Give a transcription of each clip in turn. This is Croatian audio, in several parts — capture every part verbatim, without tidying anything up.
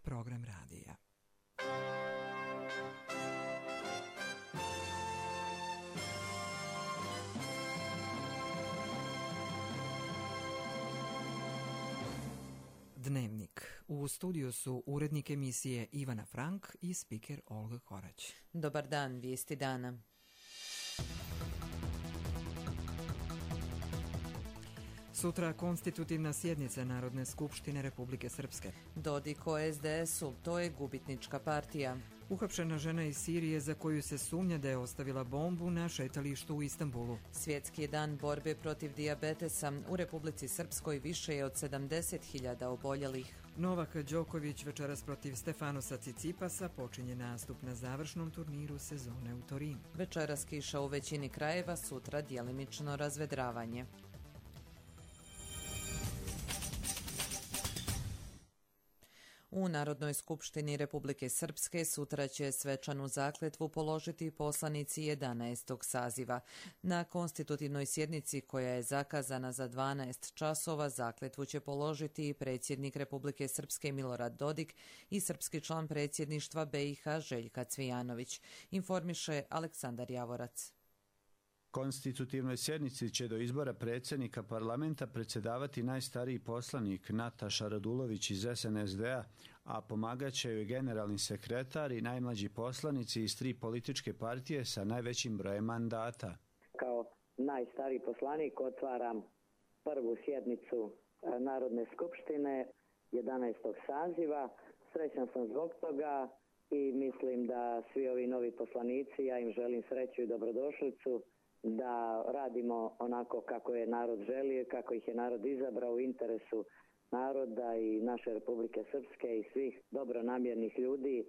program radija. Dnevnik. U studiju su urednik emisije Ivana Frank i spiker Olga Korać. Dobar dan, vijesti dana. Sutra konstitutivna sjednica Narodne skupštine Republike Srpske. Dodik o es de esu, to je gubitnička partija. Uhapšena žena iz Sirije za koju se sumnja da je ostavila bombu na šetalištu u Istanbulu. Svjetski dan borbe protiv dijabetesa. U Republici Srpskoj više je od sedamdeset hiljada oboljelih. Novak Đoković večeras protiv Stefanosa Cicipasa počinje nastup na završnom turniru sezone u Torinu. Večeras kiša u većini krajeva, sutra djelimično razvedravanje. U Narodnoj skupštini Republike Srpske sutra će svečanu zakletvu položiti poslanici jedanaestog saziva. Na konstitutivnoj sjednici koja je zakazana za dvanaest časova zakletvu će položiti i predsjednik Republike Srpske Milorad Dodik i srpski član predsjedništva be i ha Željka Cvijanović, informiše Aleksandar Javorac. Konstitutivnoj sjednici će do izbora predsjednika parlamenta predsjedavati najstariji poslanik Nataša Radulović iz es en es de-a, a pomagat će joj generalni sekretar i najmlađi poslanici iz tri političke partije sa najvećim brojem mandata. Kao najstariji poslanik otvaram prvu sjednicu Narodne skupštine jedanaestog saziva. Srećan sam zbog toga i mislim da svi ovi novi poslanici, ja im želim sreću i dobrodošlicu, da radimo onako kako je narod želio, kako ih je narod izabrao u interesu naroda i naše Republike Srpske i svih dobronamjernih ljudi.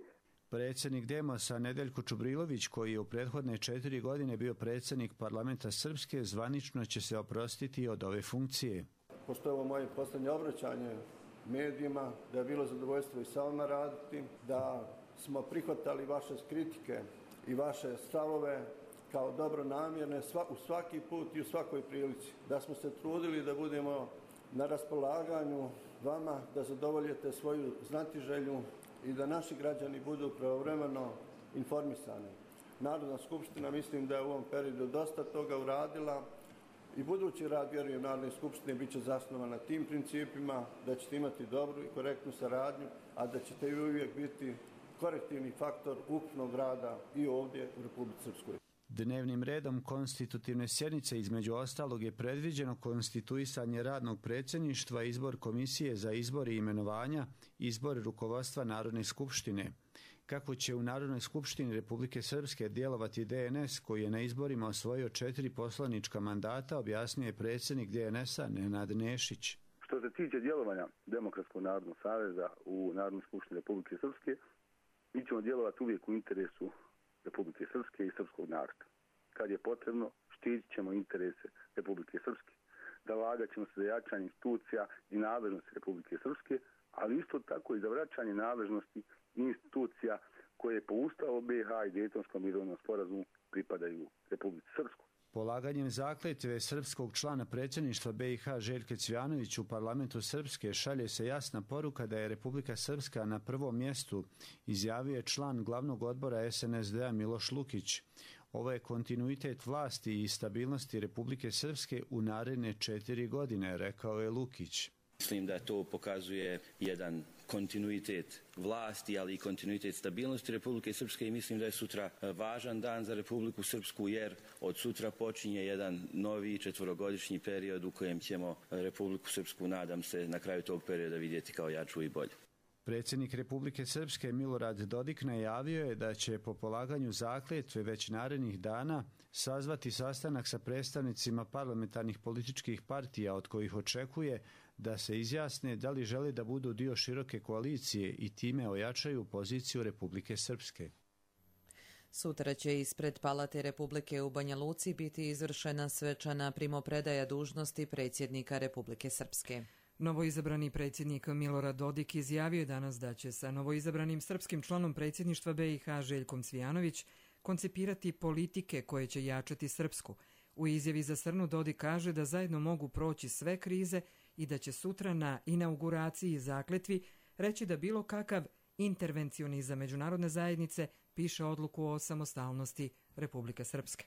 Predsjednik Demosa Nedeljko Čubrilović, koji je u prethodne četiri godine bio predsjednik parlamenta Srpske, zvanično će se oprostiti od ove funkcije. Pošto je ovo moje posljednje obraćanje medijima, da je bilo zadovoljstvo i sa vama raditi, da smo prihvatali vaše kritike i vaše stavove kao dobronamjerne u svaki put i u svakoj prilici, da smo se trudili da budemo na raspolaganju vama, da zadovoljite svoju znatiželju i da naši građani budu pravovremeno informisani. Narodna skupština mislim da je u ovom periodu dosta toga uradila i budući rad, vjerujem, Narodne skupštine bit će zasnovan na tim principima, da ćete imati dobru i korektnu saradnju, a da ćete i uvijek biti korektivni faktor ukupnog rada i ovdje u Republici Srpskoj. Dnevnim redom konstitutivne sjednice između ostalog je predviđeno konstituisanje radnog predsjedništva, izbor komisije za izbor i imenovanja, izbor rukovodstva Narodne skupštine. Kako će u Narodnoj skupštini Republike Srpske djelovati de en es, koji je na izborima osvojio četiri poslanička mandata, objasnio je predsjednik de en es-a Nenad Nešić. Što se tiče djelovanja Demokratskog narodnog saveza u Narodnoj skupštini Republike Srpske, mi ćemo djelovati uvijek u interesu Republike Srpske i srpskog naroda. Kad je potrebno, štitit ćemo interese Republike Srpske, zalagat ćemo se za jačanje institucija i nadležnosti Republike Srpske, ali isto tako i za vraćanje nadležnosti institucija koje po Ustavu be i ha i Dejtonskom mirovnom sporazumu pripadaju Republici Srpskoj. Polaganjem zakletve srpskog člana predsjedništva be i ha Željke Cvijanović u parlamentu Srpske šalje se jasna poruka da je Republika Srpska na prvom mjestu, izjavio je član glavnog odbora es en es de-a Miloš Lukić. Ovo je kontinuitet vlasti i stabilnosti Republike Srpske u naredne četiri godine, rekao je Lukić. Mislim da to pokazuje jedan kontinuitet vlasti, ali i kontinuitet stabilnosti Republike Srpske i mislim da je sutra važan dan za Republiku Srpsku jer od sutra počinje jedan novi četvorogodišnji period u kojem ćemo Republiku Srpsku, nadam se, na kraju tog perioda vidjeti kao jaču i bolju. Predsjednik Republike Srpske Milorad Dodik najavio je da će po polaganju zakletve već narednih dana sazvati sastanak sa predstavnicima parlamentarnih političkih partija od kojih očekuje da se izjasne da li žele da budu dio široke koalicije i time ojačaju poziciju Republike Srpske. Sutra će ispred Palate Republike u Banja Luci biti izvršena svečana primopredaja dužnosti predsjednika Republike Srpske. Novoizabrani predsjednik Milorad Dodik izjavio je danas da će sa novoizabranim srpskim članom predsjedništva be i ha Željkom Cvijanović koncipirati politike koje će jačati Srpsku. U izjavi za Srnu Dodik kaže da zajedno mogu proći sve krize i da će sutra na inauguraciji zakletvi reći da bilo kakav intervencionizam međunarodne zajednice piše odluku o samostalnosti Republike Srpske.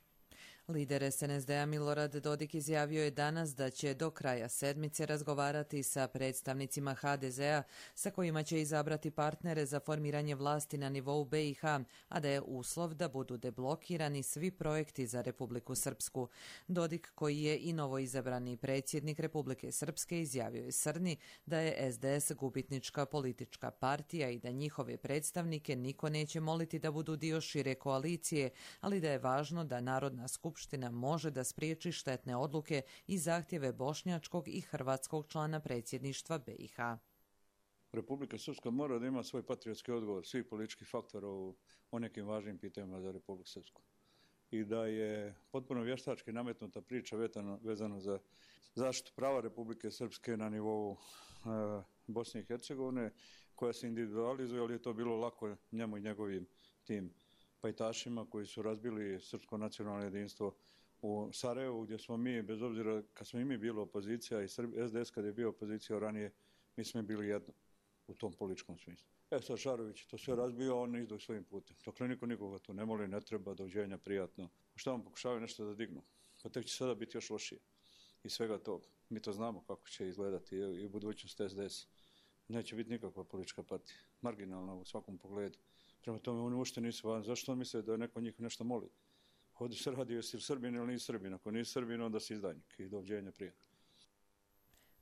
Lider es en es de a Milorad Dodik izjavio je danas da će do kraja sedmice razgovarati sa predstavnicima ha de zea sa kojima će izabrati partnere za formiranje vlasti na nivou be i ha, a da je uslov da budu deblokirani svi projekti za Republiku Srpsku. Dodik, koji je i novoizabrani predsjednik Republike Srpske, izjavio je Srni da je es de es gubitnička politička partija i da njihove predstavnike niko neće moliti da budu dio šire koalicije, ali da je važno da Narodna skupština Skupština može da spriječi štetne odluke i zahtjeve bošnjačkog i hrvatskog člana predsjedništva be i ha. Republika Srpska mora da ima svoj patriotski odgovor svih političkih faktora u, o nekim važnim pitanjima za Republiku Srpsku. I da je potpuno vještački nametnuta priča vezano, vezano za zaštitu prava Republike Srpske na nivou e, Bosne i Hercegovine, koja se individualizuje, ali je to bilo lako njemu i njegovim tim pajtašima koji su razbili srpsko nacionalno jedinstvo u Sarajevu, gdje smo mi, bez obzira kad smo i mi bili opozicija i es de es kad je bio opozicija ranije, mi smo bili jedno u tom političkom smislu. E sad Šarović to sve razbio, on izdo svojim putem. Dokle niko nikoga tu ne moli, ne treba, doviđenja, prijatno. Šta vam pokušavaju nešto da dignu? Pa tek će sada biti još lošije. I svega toga. Mi to znamo kako će izgledati i u budućnosti es de es. Neće biti nikakva politička partija. Marginalna u svakom pogledu. Prema tome oni uopšte nisu van. Zašto on misle da neko njih nešto moli? Ovdje se radi jesi Srbin ili nisi Srbin. Ako nisi Srbin, onda si izdajnik i doviđenja prijatno.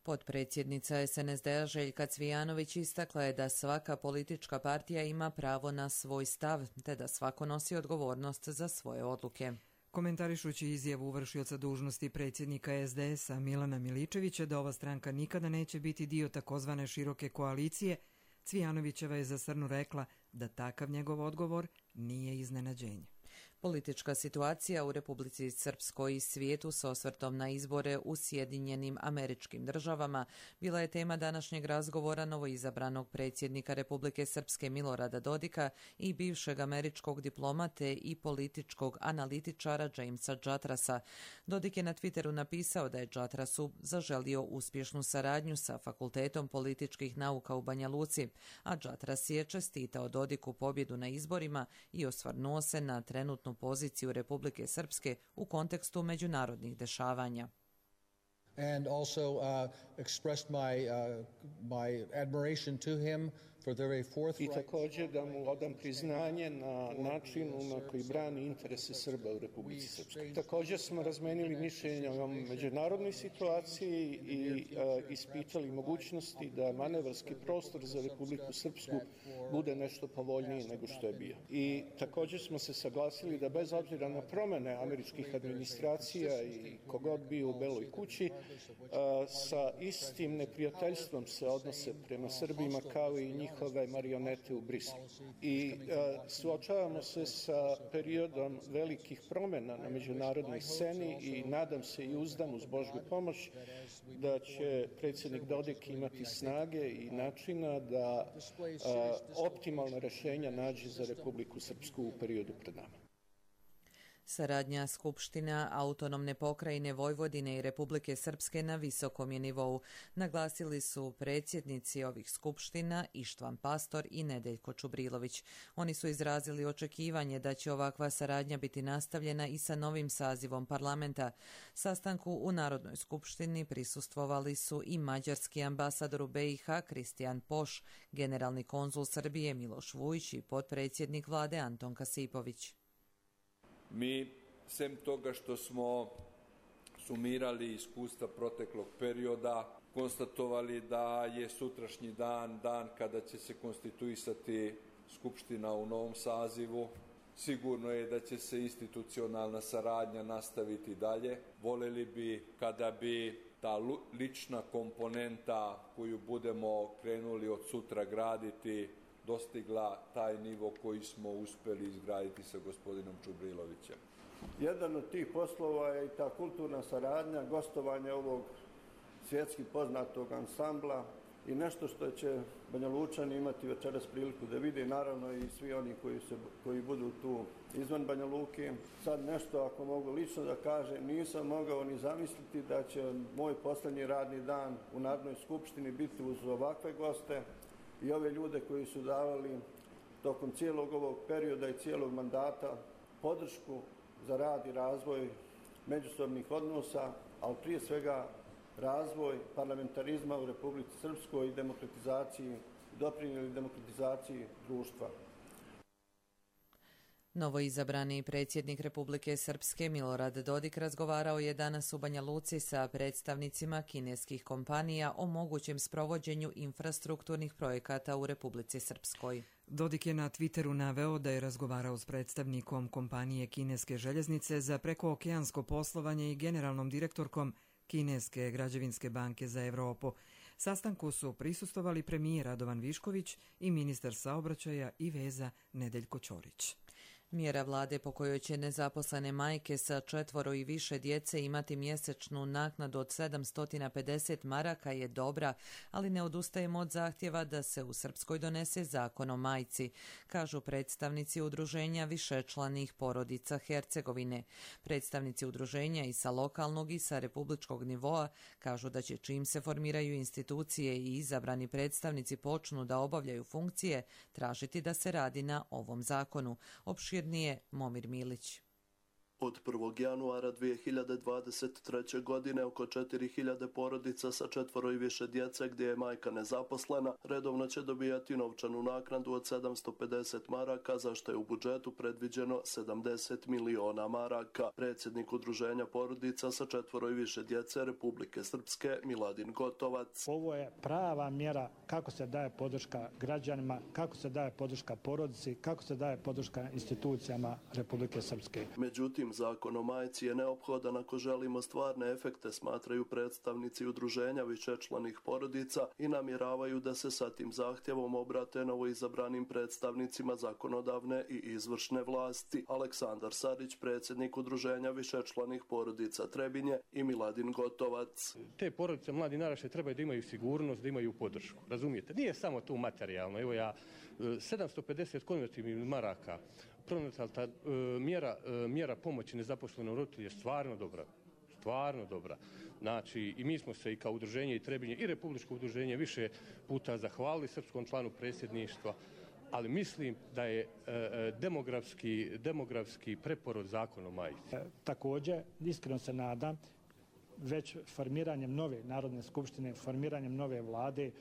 Potpredsjednica es en es de a Željka Cvijanović istakla je da svaka politička partija ima pravo na svoj stav, te da svako nosi odgovornost za svoje odluke. Komentarišući izjavu vršioca dužnosti predsjednika es de es a Milana Miličevića da ova stranka nikada neće biti dio takozvane široke koalicije, Cvijanovićeva je za Srnu rekla da takav njegov odgovor nije iznenađenje. Politička situacija u Republici Srpskoj i svijetu s osvrtom na izbore u Sjedinjenim Američkim Državama bila je tema današnjeg razgovora novoizabranog predsjednika Republike Srpske Milorada Dodika i bivšeg američkog diplomate i političkog analitičara Jamesa Džatrasa. Dodik je na Twitteru napisao da je Džatrasu zaželio uspješnu saradnju sa Fakultetom političkih nauka u Banja Luci, a Džatras je čestitao Dodiku pobjedu na izborima i osvrnuo se na trenutnu poziciju Republike Srpske u kontekstu međunarodnih dešavanja. And also uh, expressed my, uh, my admiration to him for the very forthright... I također da mu odam priznanje na načinu na koji brani interese Srba u Republici Srpskoj. Također smo razmenili mišljenja o međunarodnoj situaciji i uh, ispitali mogućnosti da manevarski prostor za Republiku Srpsku bude nešto povoljniji nego što je bio. I također smo se saglasili da bez obzira na promjene američkih administracija i kogod bio u Beloj kući, Uh, sa istim neprijateljstvom se odnose prema Srbima kao i njihove marionete u Briselu. I uh, suočavamo se sa periodom velikih promjena na međunarodnoj sceni i nadam se i uzdam uz Božju pomoć da će predsjednik Dodik imati snage i načina da uh, optimalna rješenja nađe za Republiku Srpsku u periodu pred nama. Saradnja Skupština Autonomne pokrajine Vojvodine i Republike Srpske na visokom je nivou, naglasili su predsjednici ovih skupština Ištvan Pastor i Nedeljko Čubrilović. Oni su izrazili očekivanje da će ovakva saradnja biti nastavljena i sa novim sazivom parlamenta. Sastanku u Narodnoj skupštini prisustvovali su i mađarski ambasador u be i ha Kristijan Poš, generalni konzul Srbije Miloš Vujić i potpredsjednik vlade Anton Kasipović. Mi, sem toga što smo sumirali iskustva proteklog perioda, konstatovali da je sutrašnji dan, dan kada će se konstituisati Skupština u novom sazivu. Sigurno je da će se institucionalna saradnja nastaviti dalje. Voleli bi kada bi ta lična komponenta koju budemo krenuli od sutra graditi dostigla taj nivo koji smo uspjeli izgraditi sa gospodinom Čubrilovićem. Jedan od tih poslova je i ta kulturna saradnja, gostovanje ovog svjetski poznatog ansambla i nešto što će Banja Lučani imati večeras priliku da vide, naravno i svi oni koji, se, koji budu tu izvan Banja Luke. Sad nešto, ako mogu lično da kažem, nisam mogao ni zamisliti da će moj posljednji radni dan u Narodnoj skupštini biti uz ovakve goste, i ove ljude koji su davali tokom cijelog ovog perioda i cijelog mandata podršku za rad i razvoj međusobnih odnosa, ali prije svega razvoj parlamentarizma u Republici Srpskoj i demokratizaciji, doprinijeli demokratizaciji društva. Novoizabrani predsjednik Republike Srpske Milorad Dodik razgovarao je danas u Banja Luci sa predstavnicima kineskih kompanija o mogućem sprovođenju infrastrukturnih projekata u Republici Srpskoj. Dodik je na Twitteru naveo da je razgovarao s predstavnikom kompanije Kineske željeznice za prekookeansko poslovanje i generalnom direktorkom Kineske građevinske banke za Evropu. Sastanku su prisustvovali premijer Radovan Višković i ministar saobraćaja i veza Nedeljko Ćorić. Mjera vlade po kojoj će nezaposlene majke sa četvoro i više djece imati mjesečnu naknadu od sedamsto pedeset maraka je dobra, ali ne odustajemo od zahtjeva da se u Srpskoj donese zakon o majci, kažu predstavnici udruženja višečlanih porodica Hercegovine. Predstavnici udruženja i sa lokalnog i sa republičkog nivoa kažu da će čim se formiraju institucije i izabrani predstavnici počnu da obavljaju funkcije, tražiti da se radi na ovom zakonu. Opširnije Momir Milić. Od prvog januara dvije hiljade dvadeset treće. godine oko četiri hiljade porodica sa četvoro i više djece gdje je majka nezaposlena redovno će dobijati novčanu naknadu od sedamsto pedeset maraka, za što je u budžetu predviđeno sedamdeset miliona maraka. Predsjednik udruženja porodica sa četvoro i više djece Republike Srpske Miladin Gotovac. Ovo je prava mjera kako se daje podrška građanima, kako se daje podrška porodici, kako se daje podrška institucijama Republike Srpske. Međutim, zakon o majci je neophodan ako želimo stvarne efekte, smatraju predstavnici udruženja višečlanih porodica i namjeravaju da se sa tim zahtjevom obrate novoizabranim predstavnicima zakonodavne i izvršne vlasti. Aleksandar Sarić, predsjednik udruženja višečlanih porodica Trebinje, i Miladin Gotovac. Te porodice, mladi naraštaj trebaju da imaju sigurnost, da imaju podršku. Razumijete? Nije samo tu materijalno. Evo ja, sedamsto pedeset konvertibilnih maraka pronatalta e, mjera, e, mjera pomoći nezaposlenom roditelju je stvarno dobra. Stvarno dobra. Znači, i mi smo se i kao udruženje i Trebinje i Republičko udruženje više puta zahvalili srpskom članu predsjedništva, ali mislim da je e, demografski, demografski preporod zakon o majci. E, također, iskreno se nadam, već formiranjem nove Narodne skupštine, formiranjem nove vlade,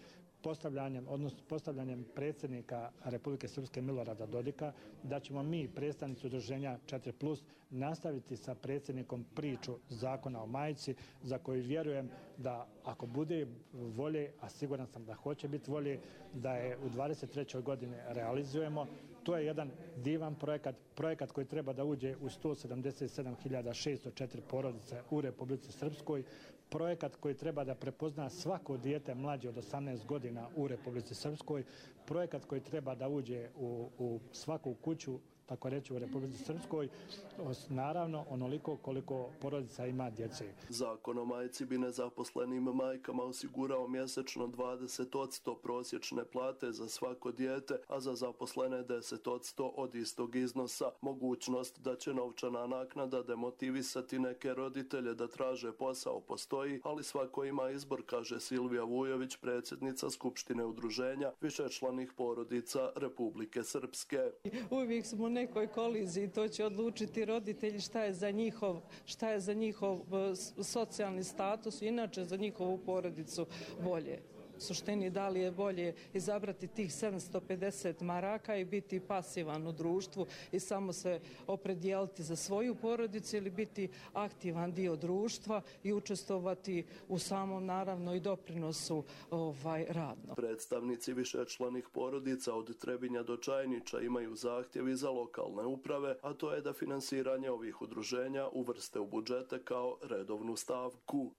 postavljanjem, odnosno postavljanjem predsjednika Republike Srpske Milorada Dodika, da ćemo mi, predstavnici udruženja četiri plus, nastaviti sa predsjednikom priču zakona o majci, za koju vjerujem da ako bude volje, a siguran sam da hoće biti volje, da je u dvadeset trećoj godini realizujemo. To je jedan divan projekat, projekat koji treba da uđe u sto sedamdeset sedam hiljada šesto četiri porodice u Republici Srpskoj, projekat koji treba da prepozna svako dijete mlađe od osamnaest godina u Republici Srpskoj, projekat koji treba da uđe u, u svaku kuću, tako reći, u Republici Srpskoj, naravno onoliko koliko porodica ima djece. Zakon o majci bi nezaposlenim majkama osigurao mjesečno dvadeset posto prosječne plate za svako dijete, a za zaposlene deset posto od istog iznosa. Mogućnost da će novčana naknada demotivisati neke roditelje da traže posao postoji, ali svako ima izbor, kaže Silvija Vujović, predsjednica Skupštine udruženja višečlanih porodica Republike Srpske. Uvijek smo u nekoj koliziji, to će odlučiti roditelji šta je za njihov, šta je za njihov socijalni status i inače za njihovu porodicu bolje. U suštini, da li je bolje izabrati tih sedamsto pedeset maraka i biti pasivan u društvu i samo se opredijeliti za svoju porodicu ili biti aktivan dio društva i učestvovati u samom, naravno, i doprinosu ovaj, radno. Predstavnici višečlanih porodica od Trebinja do Čajniča imaju zahtjevi za lokalne uprave, a to je da finansiranje ovih udruženja uvrste u budžete kao redovnu stavku.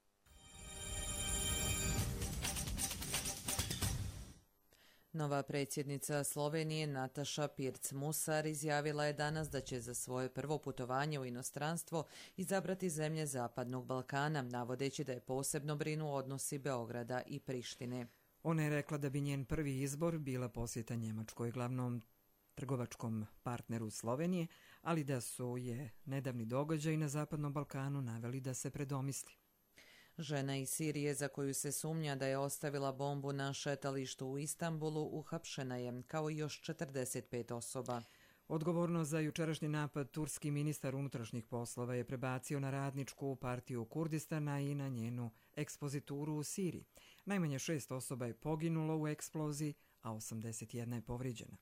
Nova predsjednica Slovenije Nataša Pirc-Musar izjavila je danas da će za svoje prvo putovanje u inostranstvo izabrati zemlje Zapadnog Balkana, navodeći da je posebno brinu odnosi Beograda i Prištine. Ona je rekla da bi njen prvi izbor bila posjeta Njemačkoj, glavnom trgovačkom partneru Slovenije, ali da su je nedavni događaj na Zapadnom Balkanu naveli da se predomisli. Žena iz Sirije za koju se sumnja da je ostavila bombu na šetalištu u Istanbulu uhapšena je, kao i još četrdeset pet osoba. Odgovornost za jučerašnji napad turski ministar unutrašnjih poslova je prebacio na radničku partiju Kurdistana i na njenu ekspozituru u Siriji. Najmanje šest osoba je poginulo u eksploziji, a osamdeset jedna je povrijeđena.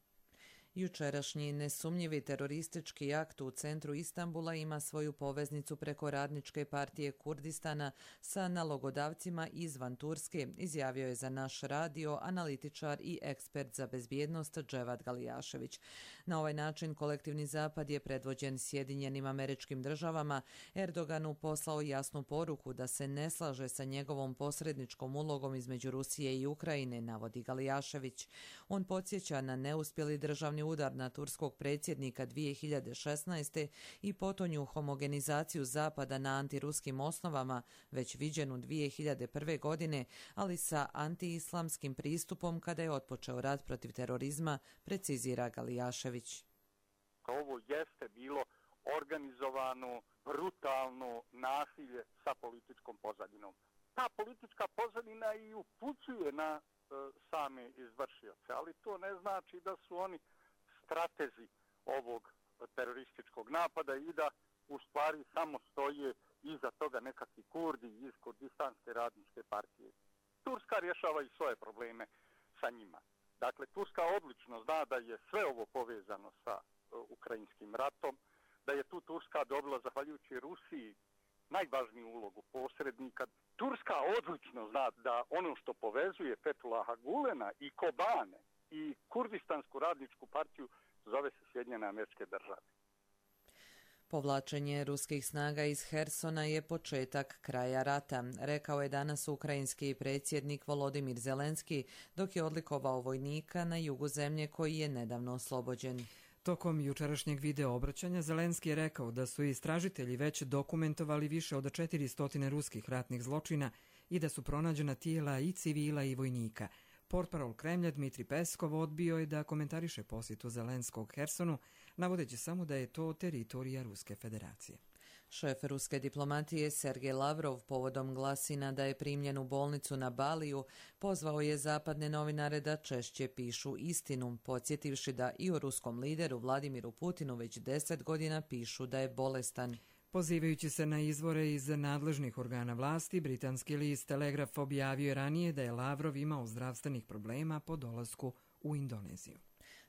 Jučerašnji nesumnjivi teroristički akt u centru Istanbula ima svoju poveznicu preko radničke partije Kurdistana sa nalogodavcima izvan Turske, izjavio je za naš radio analitičar i ekspert za bezbjednost Dževad Galijašević. Na ovaj način kolektivni zapad je predvođen Sjedinjenim Američkim Državama Erdoganu poslao jasnu poruku da se ne slaže sa njegovom posredničkom ulogom između Rusije i Ukrajine, navodi Galijašević. On podsjeća na neuspjeli državni udar na turskog predsjednika dvije hiljade šesnaeste. i potonju homogenizaciju Zapada na antiruskim osnovama, već viđenu dvije hiljade prve. godine, ali sa antiislamskim pristupom kada je otpočeo rat protiv terorizma, precizira Galijašević. Ovo jeste bilo organizovano, brutalno nasilje sa političkom pozadinom. Ta politička pozadina i upućuje na e, same izvršioce, ali to ne znači da su oni stratezi ovog terorističkog napada i da u stvari samo stoje iza toga nekakvi Kurdi iz Kurdistanske radničke partije. Turska rješava i svoje probleme sa njima. Dakle, Turska odlično zna da je sve ovo povezano sa uh, ukrajinskim ratom, da je tu Turska dobila, zahvaljujući Rusiji, najvažniju ulogu posrednika. Turska odlično zna da ono što povezuje Fethullaha Gulena i Kobane i Kurdistansku radničku partiju zove se Sjedinjene Američke Države. Povlačenje ruskih snaga iz Hersona je početak kraja rata, rekao je danas ukrajinski predsjednik Volodimir Zelenski, dok je odlikovao vojnika na jugu zemlje koji je nedavno oslobođen. Tokom jučerašnjeg video obraćanja Zelenski je rekao da su istražitelji već dokumentovali više od četiristo ruskih ratnih zločina i da su pronađena tijela i civila i vojnika. Portparol Kremlja Dmitri Peskov odbio je da komentariše posjetu Zelenskog Hersonu, navodeći samo da je to teritorija Ruske federacije. Šef ruske diplomatije Sergej Lavrov povodom glasina da je primljen u bolnicu na Baliju pozvao je zapadne novinare da češće pišu istinu, podsjetivši da i o ruskom lideru Vladimiru Putinu već deset godina pišu da je bolestan. Pozivajući se na izvore iz nadležnih organa vlasti, britanski list Telegraf objavio je ranije da je Lavrov imao zdravstvenih problema po dolasku u Indoneziju.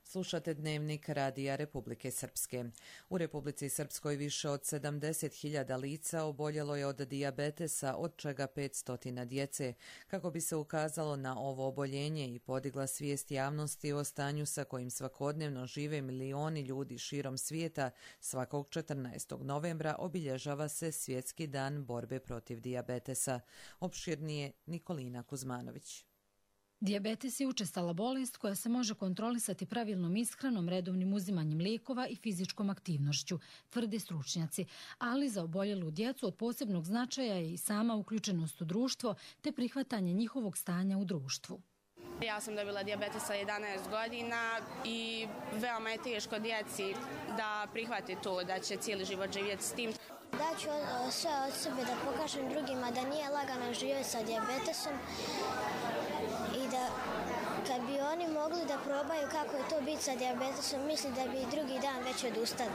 Slušate dnevnik Radija Republike Srpske. U Republici Srpskoj više od sedamdeset hiljada lica oboljelo je od dijabetesa, od čega petsto djece. Kako bi se ukazalo na ovo oboljenje i podigla svijest javnosti o stanju sa kojim svakodnevno žive milioni ljudi širom svijeta, svakog četrnaestog novembra obilježava se Svjetski dan borbe protiv dijabetesa. Opširnije Nikolina Kuzmanović. Dijabetes je učestala bolest koja se može kontrolisati pravilnom ishranom, redovnim uzimanjem lijekova i fizičkom aktivnošću, tvrde stručnjaci, ali za oboljelu djecu od posebnog značaja je i sama uključenost u društvo te prihvatanje njihovog stanja u društvu. Ja sam dobila dijabetes sa jedanaest godina i veoma je teško djeci da prihvati to da će cijeli život živjeti s tim. Daću sve od sebe da pokažem drugima da nije lagano živjeti sa dijabetesom i da kad bi oni mogli da probaju kako je to biti sa dijabetesom, misli da bi drugi dan već odustali.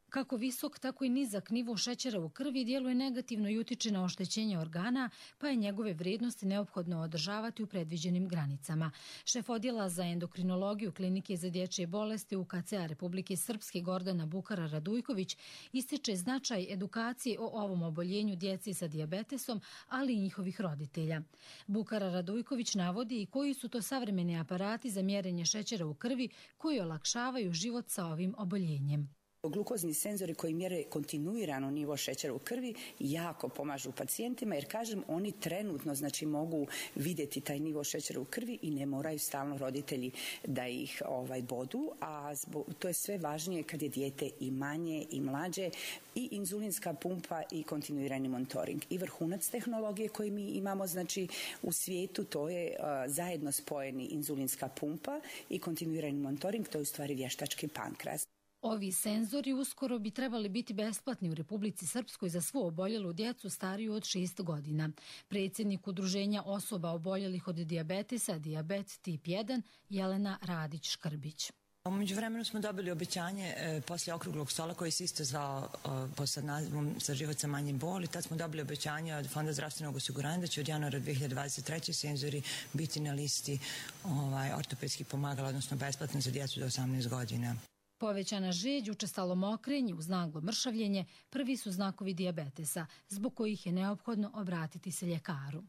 Kako visok, tako i nizak nivo šećera u krvi djeluje negativno i utiče na oštećenje organa, pa je njegove vrijednosti neophodno održavati u predviđenim granicama. Šef odjela za endokrinologiju Klinike za dječje bolesti U K C-a Republike Srpske Gordana Bukara Radujković ističe značaj edukacije o ovom oboljenju djeci sa dijabetesom, ali i njihovih roditelja. Bukara Radujković navodi i koji su to savremeni aparati za mjerenje šećera u krvi koji olakšavaju život sa ovim oboljenjem. Glukozni senzori koji mjere kontinuirano nivo šećera u krvi jako pomažu pacijentima jer, kažem, oni trenutno znači mogu vidjeti taj nivo šećera u krvi i ne moraju stalno roditelji da ih ovaj bodu, a zbog, to je sve važnije kad je dijete i manje i mlađe, i inzulinska pumpa i kontinuirani monitoring. I vrhunac tehnologije koji mi imamo znači u svijetu, to je uh, zajedno spojeni inzulinska pumpa i kontinuirani monitoring, to je u stvari vještački pankreas. Ovi senzori uskoro bi trebali biti besplatni u Republici Srpskoj za svu oboljelu djecu stariju od šest godina. Predsjednik Udruženja osoba oboljelih od dijabetesa, dijabet tip jedan, Jelena Radić-Škrbić. Umeđu vremenu smo dobili obećanje e, poslije okruglog stola koji se isto zvao e, pod nazivom Za život sa manjim boli. Tad smo dobili obećanje od Fonda zdravstvenog osiguranja da će od januara dvije hiljade dvadeset treće senzori biti na listi ovaj, ortopedskih pomagala, odnosno besplatno za djecu do osamnaest godina. Povećana žeđ, učestalo mokrenje uz naglo mršavljenje prvi su znakovi dijabetesa, zbog kojih je neophodno obratiti se ljekaru.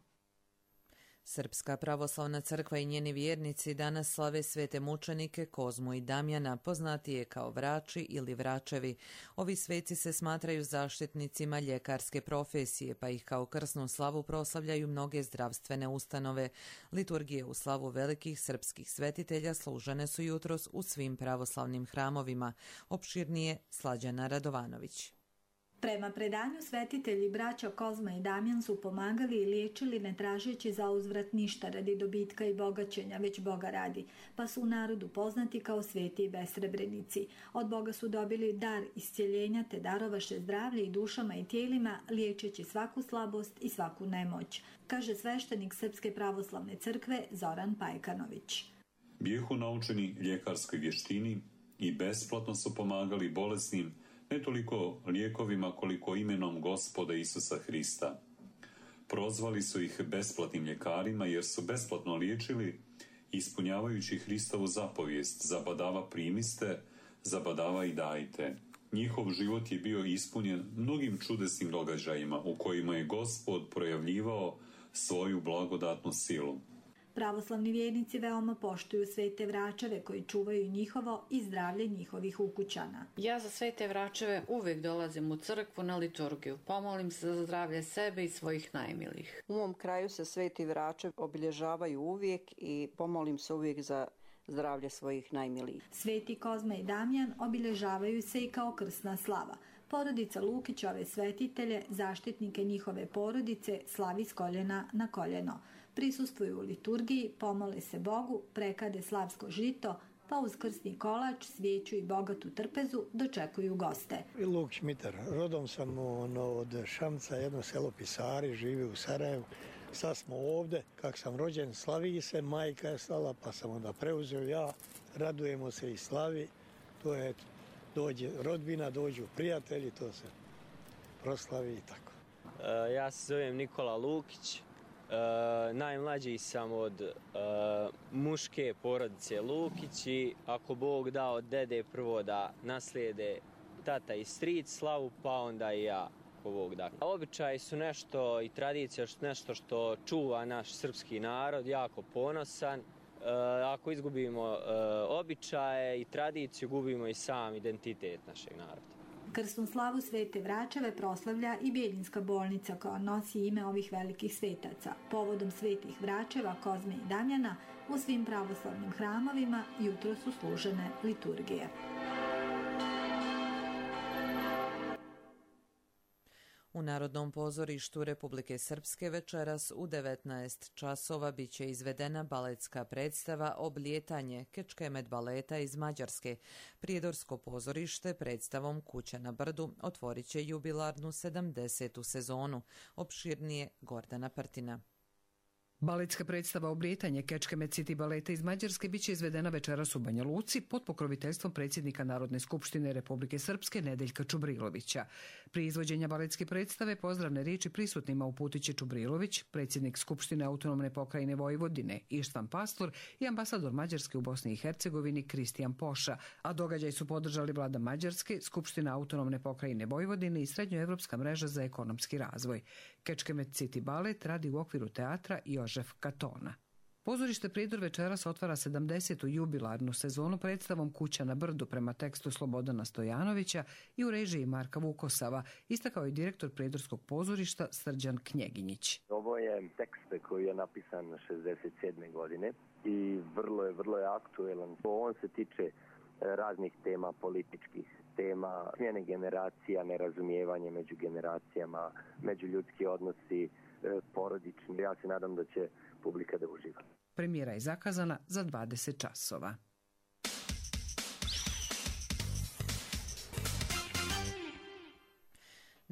Srpska pravoslavna crkva i njeni vjernici danas slave svete mučenike Kozmu i Damjana, poznatije kao vrači ili vračevi. Ovi sveci se smatraju zaštitnicima ljekarske profesije, pa ih kao krsnu slavu proslavljaju mnoge zdravstvene ustanove. Liturgije u slavu velikih srpskih svetitelja služene su jutros u svim pravoslavnim hramovima. Opširnije Slađana Radovanović. Prema predanju svetitelji braća Kozma i Damjan su pomagali i liječili ne tražeći za uzvrat ništa radi dobitka i bogaćenja, već Boga radi, pa su u narodu poznati kao sveti i besrebrenici. Od Boga su dobili dar iscjeljenja te darovaše zdravlje i dušama i tijelima, liječeći svaku slabost i svaku nemoć, kaže sveštenik Srpske pravoslavne crkve Zoran Pajkanović. Bijehu naučeni ljekarskoj vještini i besplatno su pomagali bolesnim ne toliko lijekovima koliko imenom Gospoda Isusa Hrista. Prozvali su ih besplatnim ljekarima jer su besplatno liječili ispunjavajući Hristovu zapovijest zabadava primiste, zabadava i dajte. Njihov život je bio ispunjen mnogim čudesnim događajima u kojima je Gospod projavljivao svoju blagodatnu silu. Pravoslavni vjernici veoma poštuju svete vračeve koji čuvaju njihovo i zdravlje njihovih ukućana. Ja za svete vračeve uvijek dolazim u crkvu na liturgiju. Pomolim se za zdravlje sebe i svojih najmilijih. U mom kraju se sveti vračev obilježavaju uvijek i pomolim se uvijek za zdravlje svojih najmilijih. Sveti Kozma i Damjan obilježavaju se i kao krsna slava. Porodica Lukić ove svetitelje, zaštitnike njihove porodice, slavi s koljena na koljeno. Prisustvuju u liturgiji, pomole se Bogu, prekade slavsko žito, pa uz krsni kolač, svijeću i bogatu trpezu dočekuju goste. Lukić Mitar, rodom sam ono, od Šamca, jedno selo Pisari, živi u Sarajevu. Sad smo ovdje, kak sam rođen, slavi se, majka je slala, pa sam onda preuzeo ja, radujemo se i slavi, to je, dođe rodbina, dođu prijatelji, to se proslavi i tako. Uh, ja se zovem Nikola Lukić. Uh, najmlađi sam od uh, muške porodice Lukić i ako Bog da od dede prvo da naslijede tata i stric slavu, pa onda i ja ako Bog da. Običaji su nešto i tradicija su nešto što čuva naš srpski narod, jako ponosan. Uh, ako izgubimo uh, običaje i tradiciju, gubimo i sam identitet našeg naroda. Krsnu slavu svete vračeve proslavlja i Bjeljinska bolnica koja nosi ime ovih velikih svetaca. Povodom svetih vračeva Kozme i Damjana u svim pravoslavnim hramovima jutro su služene liturgije. U Narodnom pozorištu Republike Srpske večeras u devetnaest časova biće izvedena baletska predstava Oblijetanje Kečkemet baleta iz Mađarske. Prijedorsko pozorište predstavom Kuća na brdu otvorit će jubilarnu sedamdesetu sezonu. Opširnije Gordana Partina. Baletska predstava Oblijetanje Kečkemet City baleta iz Mađarske biće izvedena večeras u Banja Luci pod pokroviteljstvom predsjednika Narodne skupštine Republike Srpske Nedeljka Čubrilovića. Pri izvođenja baletske predstave pozdravne riječi prisutnima uputit će Čubrilović, predsjednik Skupštine autonomne pokrajine Vojvodine Ištvan Pastor i ambasador Mađarske u Bosni i Hercegovini Kristijan Poša, a događaj su podržali vlada Mađarske, Skupština autonomne pokrajine Vojvodine i Srednjoevropska mreža za ekonomski razvoj. Kečkemet City balet radi u okviru teatra Jožef Katona. Pozorište Prijedor večeras otvara sedamdesetu jubilarnu sezonu predstavom Kuća na brdu prema tekstu Slobodana Stojanovića i u režiji Marka Vukosava, istakao je direktor Prijedorskog pozorišta Srđan Knjeginjić. Ovo je tekst koji je napisan šezdeset sedme godine i vrlo je, vrlo je aktuelan. On se tiče raznih tema, političkih tema, smjene generacija, nerazumijevanje među generacijama, međuljudski odnosi, porodični. Ja se nadam da će publika da uživa. Premijera je zakazana za dvadeset časova.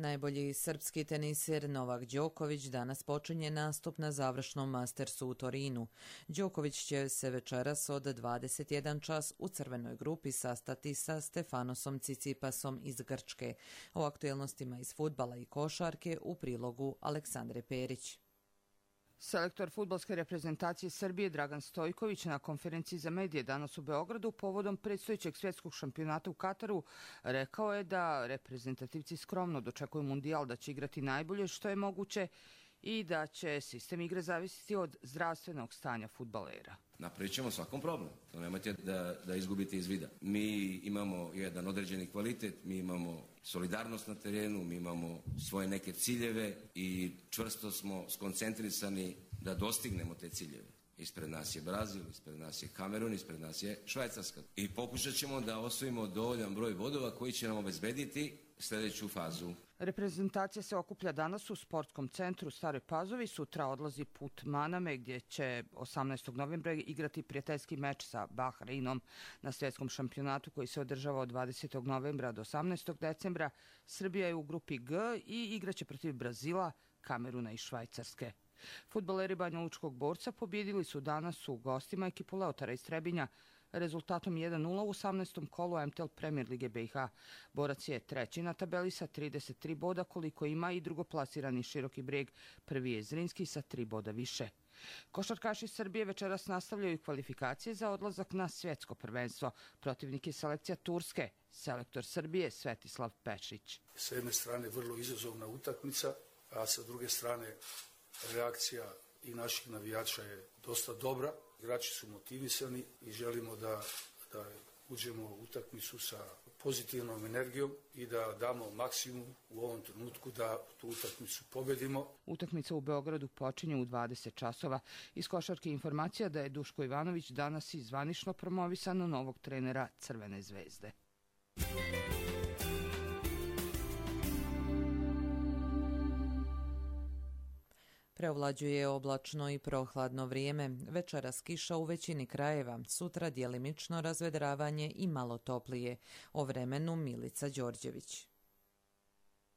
Najbolji srpski teniser Novak Đoković danas počinje nastup na završnom Mastersu u Torinu. Đoković će se večeras od dvadeset jedan čas u crvenoj grupi sastati sa Stefanosom Cicipasom iz Grčke. O aktuelnostima iz fudbala i košarke u prilogu Aleksandre Perić. Selektor fudbalske reprezentacije Srbije Dragan Stojković na konferenciji za medije danas u Beogradu povodom predstojećeg svjetskog šampionata u Kataru rekao je da reprezentativci skromno dočekuju mundijal, da će igrati najbolje što je moguće i da će sistem igre zavisiti od zdravstvenog stanja fudbalera. Napravit ćemo svakom problem, to nemojte da, da izgubite iz vida. Mi imamo jedan određeni kvalitet, mi imamo solidarnost na terenu, mi imamo svoje neke ciljeve i čvrsto smo skoncentrisani da dostignemo te ciljeve. Ispred nas je Brazil, ispred nas je Kamerun, ispred nas je Švajcarska. I pokušat ćemo da osvojimo dovoljan broj bodova koji će nam obezbediti sljedeću fazu. Reprezentacija se okuplja danas u sportskom centru u Staroj Pazovi. Sutra odlazi put Maname gdje će osamnaestog novembra igrati prijateljski meč sa Bahreinom na svjetskom šampionatu koji se održava od dvadesetog novembra do osamnaestog decembra. Srbija je u grupi G i igraće protiv Brazila, Kameruna i Švajcarske. Fudbaleri Banjalučkog Borca pobjedili su danas u gostima ekipu Leotara iz Trebinja rezultatom jedan nula u osamnaestom kolu M T L Premier Lige B i H. Borac je treći na tabeli sa trideset tri boda koliko ima i drugoplasirani Široki Breg, prvi je Zrinski sa tri boda više. Košarkaši Srbije večeras nastavljaju kvalifikacije za odlazak na svjetsko prvenstvo. Protivnik je selekcija Turske, selektor Srbije Svetislav Pešić. Sa jedne strane vrlo izazovna utakmica, a sa druge strane reakcija i naših navijača je dosta dobra. Igrači su motivisani i želimo da, da uđemo u utakmicu sa pozitivnom energijom i da damo maksimum u ovom trenutku da tu utakmicu pobedimo. Utakmica u Beogradu počinje u dvadeset časova. Iz košarke informacija da je Duško Ivanović danas i zvanično promovisan na novog trenera Crvene zvezde. Preovlađuje oblačno i prohladno vrijeme. Večeras kiša u većini krajeva, sutra djelimično razvedravanje i malo toplije. O vremenu Milica Đorđević.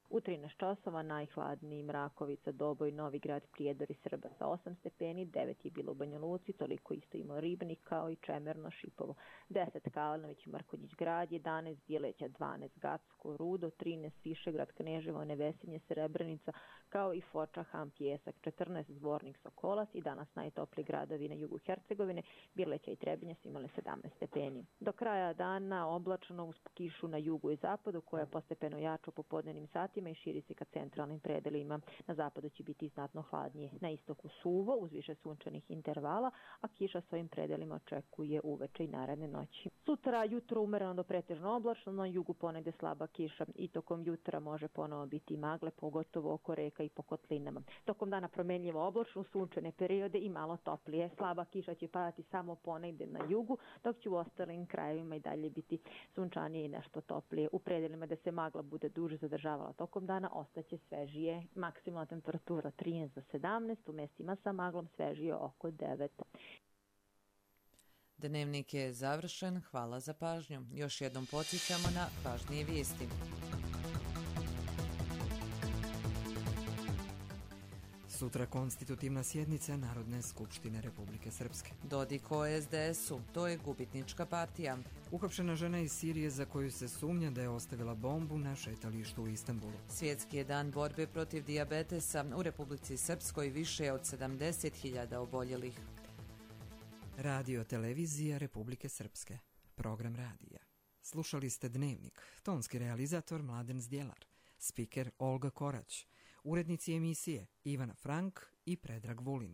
U trinaest časova najhladniji Mrakovica, Doboj, Novigrad, Prijedor i Srba sa osam stepeni, devet je bilo u Banja Luci, toliko isto ima Ribnik kao i Čemerno, Šipovo, deset Kalanović, Markonjić grad, jedanaest Bjeleća, dvanaest Gacko, Rudo, trinaest Višegrad, Kneževo, Nevesinje, Srebrenica, kao i Foča, Ham, Pjesak, četrnaest Zvornik, Sokolac i danas najtopliji gradovi na jugu Hercegovine, Bjeleća i Trebinje su imali sedamnaest stepeni. Do kraja dana oblačno uz kišu na jugu i zapadu koja postepeno jača u popodnevnim satima i širi se ka centralnim predelima. Na zapadu će biti znatno hladnije. Na istoku suvo uz više sunčanih intervala, a kiša svojim predelima očekuje uveče i naredne noći. Sutra jutro umereno do pretežno oblačno, na jugu ponegde slaba kiša i tokom jutra može ponovo biti magle, pogotovo oko reka i po kotlinama. Tokom dana promenljivo oblačno, sunčane periode i malo toplije. Slaba kiša će padati samo ponegde na jugu, dok će u ostalim krajevima i dalje biti sunčanije i nešto toplije. U predelima da se magla bude duže zadržavala tokom dana ostaće svežije. Maksimalna temperatura trinaest do sedamnaest, u mestima sa maglom svežije oko devet. Dnevnik je završen, hvala za pažnju. Još jednom podsjećamo na važnije vijesti. Sutra konstitutivna sjednica Narodne skupštine Republike Srpske. Dodik o S D S-u, to je gubitnička partija. Uhapšena žena iz Sirije za koju se sumnja da je ostavila bombu na šetalištu u Istanbulu. Svjetski je dan borbe protiv dijabetesa. U Republici Srpskoj više je od sedamdeset hiljada oboljelih. Radio televizija Republike Srpske. Program radija. Slušali ste Dnevnik. Tonski realizator Mladen Zdjelar. Spiker Olga Korać. Urednici emisije Ivana Frank i Predrag Vulin.